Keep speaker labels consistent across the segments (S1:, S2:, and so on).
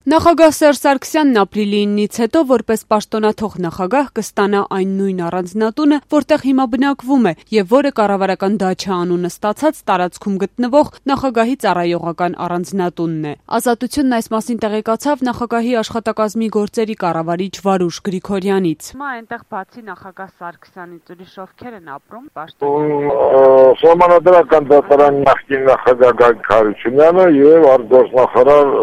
S1: Նախագահ Սերժ Սարգսյանն ապրիլի 9-ից հետո որպես պաշտոնաթող նախագահ կստանա այն նույն առանձնատունը, որտեղ հիմա բնակվում է եւ որը կառավարական դաչա անունը ստացած տարածքում գտնվող նախագահի ծառայողական առանձնատունն է։ Ազատությունն այս մասին տեղեկացավ նախագահի աշխատակազմի գործերի կառավարիչ Վարուժ Գրիգորյանից։
S2: Հիմա այնտեղ բացի նախագահ Սարգսյանից ուրիշ ովքեր են ապրում պաշտոնյա։
S3: Սահմանադրական դատարանի նախկին նախագահ Գագիկ Հարությունյանը եւ արտգործնախարար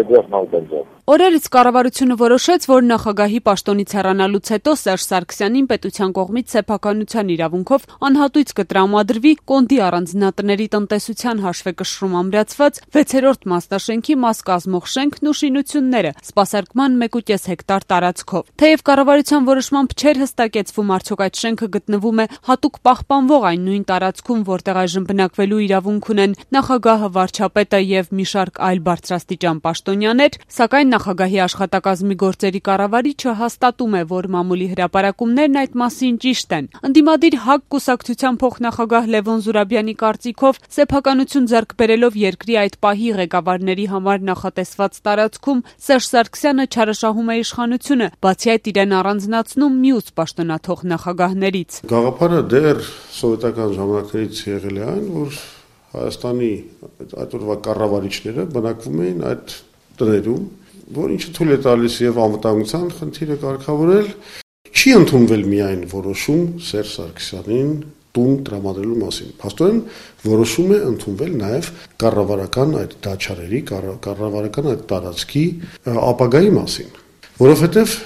S3: Էդուարդ Նալբանդյանը։
S1: Օրերից կառավարությունը որոշեց, որ նախագահի պաշտոնից հեռանալուց հետո Սերժ Սարգսյանին պետության կողմից սեփականության իրավունքով անհատույց կտրամադրվի Կոնդի առանձնատների տնտեսության հաշվեկշռում ամրացված 6-րդ մասնաշենքի մաս կազմող շենքն ու շինությունները սպասարկման 1.5 հեկտար տարածքով։ Թեև կառավարության որոշմամբ չէր հստակեցվում արդյոք այդ շենքը գտնվում է հատուկ պահպանվող այն նույն տարածքում, որտեղ այժմ բնակվելու իրավունք ունեն նախագահը, վարչապետը եւ մի շարք այլ բարձրաստիճան պաշտոնյաներ, սակայն նախագահի աշխատակազմի գործերի կառավարիչը հաստատում է, որ մամուլի հրապարակումներն այդ մասին ճիշտ են։ Ընդդիմադիր ՀԱԿ կուսակցության փոխնախագահ Լևոն Զուրաբյանի կարծիքով սեփականություն ձեռք բերելով երկրի այդ պահի ղեկավարների համար նախատեսված տարածքում Սերժ Սարգսյանը չարաշահում է իշխանությունը, բացի այդ իրեն առանձնացնում մյուս պաշտոնաթող նախագահներից։
S4: Գաղափարը դեռ սովետական ժամանակներից եղել է այն, որ Հայաստանի այդ օրվա կառավարիչները բնակվում էին այդ տներում, որ ինչը թույլ է տալիս եւ անվտանգության խնդիրը կարգավորել, չի ընդունվել միայն որոշում Սերժ Սարգսյանին տուն տրամադրելու մասին։ Փաստորեն որոշում է ընդունվել նաեւ կառավարական այդ դաչարերի, կառավարական այդ տարածքի ապագայի մասին, որովհետեւ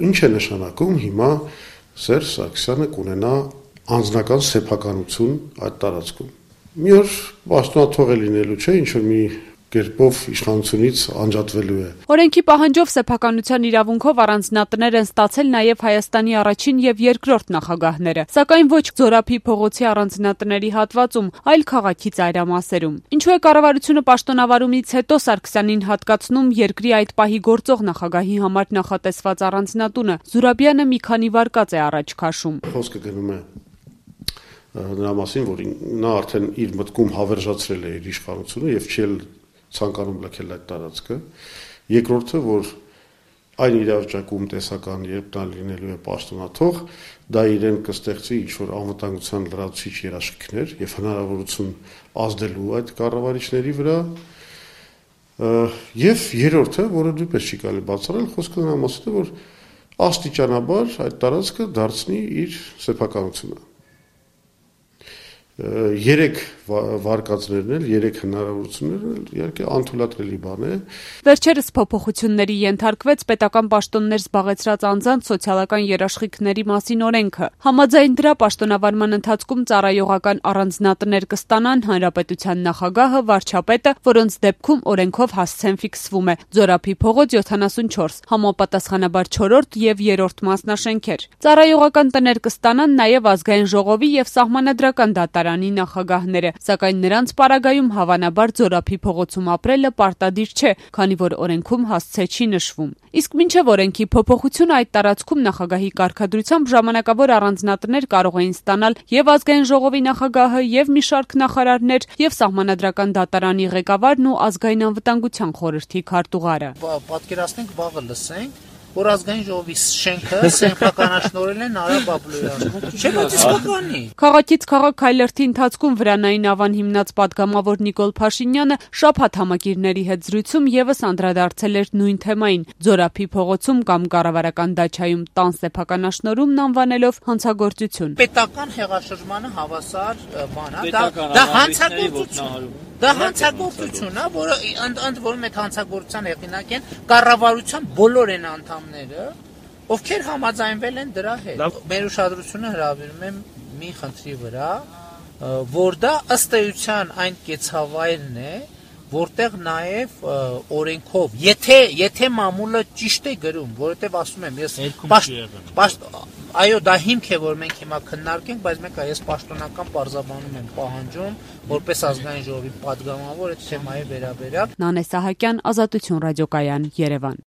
S4: ինչ է նշանակում հիմա Սերժ Սարգսյանը կունենա անձնական սեփականություն այդ տարածքում։ Մի օր պաշտոնաթող է լինելու չէ, ինչ որ մի կերպով իշխանությունից անջատվելու է։
S1: Օրենքի պահանջով սեփականության իրավունքով առանձնատներ են ստացել նաև Հայաստանի առաջին եւ երկրորդ նախագահները, սակայն ոչ Զորափի փողոցի առանձնատների հատվածում, այլ քաղաքի ծայրամասերում։ Ինչու է կառավարությունը պաշտոնավարումից հետո Սարգսյանին հատկացնում երկրի այդ պահի գործող նախագահի համար նախատեսված առանձնատունը, Զուրաբյանը մի քանի վարկած է առաջ քաշում։
S4: Խոսքը գնում է նրա մասին, որ նա արդեն իր մտքում հավերժացրել է իր իշխանությունը եւ չի ցանկանում լքել այդ տարածքը։ Երկրորդը, որ այն իրավիճակում տեսական, երբ նա լինելու է պաշտոնաթող, դա իրեն կստեղծի ինչ-որ անվտանգության լրացուցիչ երաշխիքներ եւ հնարավորություն ազդելու այդ կառավարիչների վրա։ Եվ երրորդը, որը դուպես չի կարելի բացառել, խոսքը նրա մասին է, որ աստիճանաբար այդ տարածքը դարձնի իր սեփականությունը։ 3 վարկածներն էլ, 3 հնարավորություններն էլ իհարկե անթույլատրելի բան է։
S1: Վերջերս փոփոխությունների ենթարկվեց պետական պաշտոններ զբաղեցրած անձանց սոցիալական երաշխիքների մասին օրենքը։ Համաձայն դրա պաշտոնավարման ընթացքում ծառայողական առանձնատներ կստանան հանրապետության նախագահը, վարչապետը, որոնց դեպքում օրենքով հասցեն ֆիքսվում է Զորափի փողոց 74, համապատասխանաբար 4-րդ եւ 3-րդ մասնաշենքեր։ Ծառայողական տներ կստանան նաեւ ազգային ժողովի եւ սահմանադրական դատարանի նախագահները, սակայն նրանց պարագայում հավանաբար Զորափի փողոցում ապրելը պարտադիր չէ, քանի որ օրենքում հասցե չի նշվում։ Իսկ մինչև օրենքի փոփոխությունը այդ տարածքում նախագահի կարգադրությամբ ժամանակավոր առանձնատներ կարող էին ստանալ եւ ազգային ժողովի նախագահը, եւ մի շարք նախարարներ, եւ սահմանադրական դատարանի ղեկավարն ու ազգային անվտանգության խորհրդի քարտուղարը։
S5: Պատկերացնենք վաղը լսենք, որ ազգային ժողովի շենքը սեփականաշնորհել են Արա Բաբլոյանը։ Չէ՞ որ իսկականի։
S1: Քաղաքից քաղաք քայլերթի ընթացքում Վրանային ավան հիմնած падգամավոր Նիկոլ Փաշինյանը շաբաթ համակիրների հետ զրույցում եւս անդրադարձել էր նույն թեմային՝ Զորափի փողոցում կամ կառավարական դաչայում տան սեփականաշնորհումն անվանելով հանցագործություն։
S5: Պետական հեղաշրջմանը հավասար բան է, դա հանցագործություն։ Դա հանցագործություն է, որը ընդ որում այդ հանցագործության հեղինակ են կառավարության բոլոր են անդամները, ովքեր համաձայնվել են դրա հետ։ Մեր ուշադրությունը հրավիրում է մի խնդրի վրա, որ դա ըստ էության այն կեցավայրն է, որտեղ նաև օրենքով, եթե մամուլը ճիշտ է գրում, որովհետև ասում եմ, ես այո, դա հիմք է, որ մենք հիմա քննարկենք, բայց մենք այս պաշտոնական պարզաբանում եմ պահանջում, որպես ազգային ժողովի падգամավոր այդ թեմայի վերաբերյալ։
S1: Նանե Սահակյան, Ազատություն ռադիոկայան, Երևան։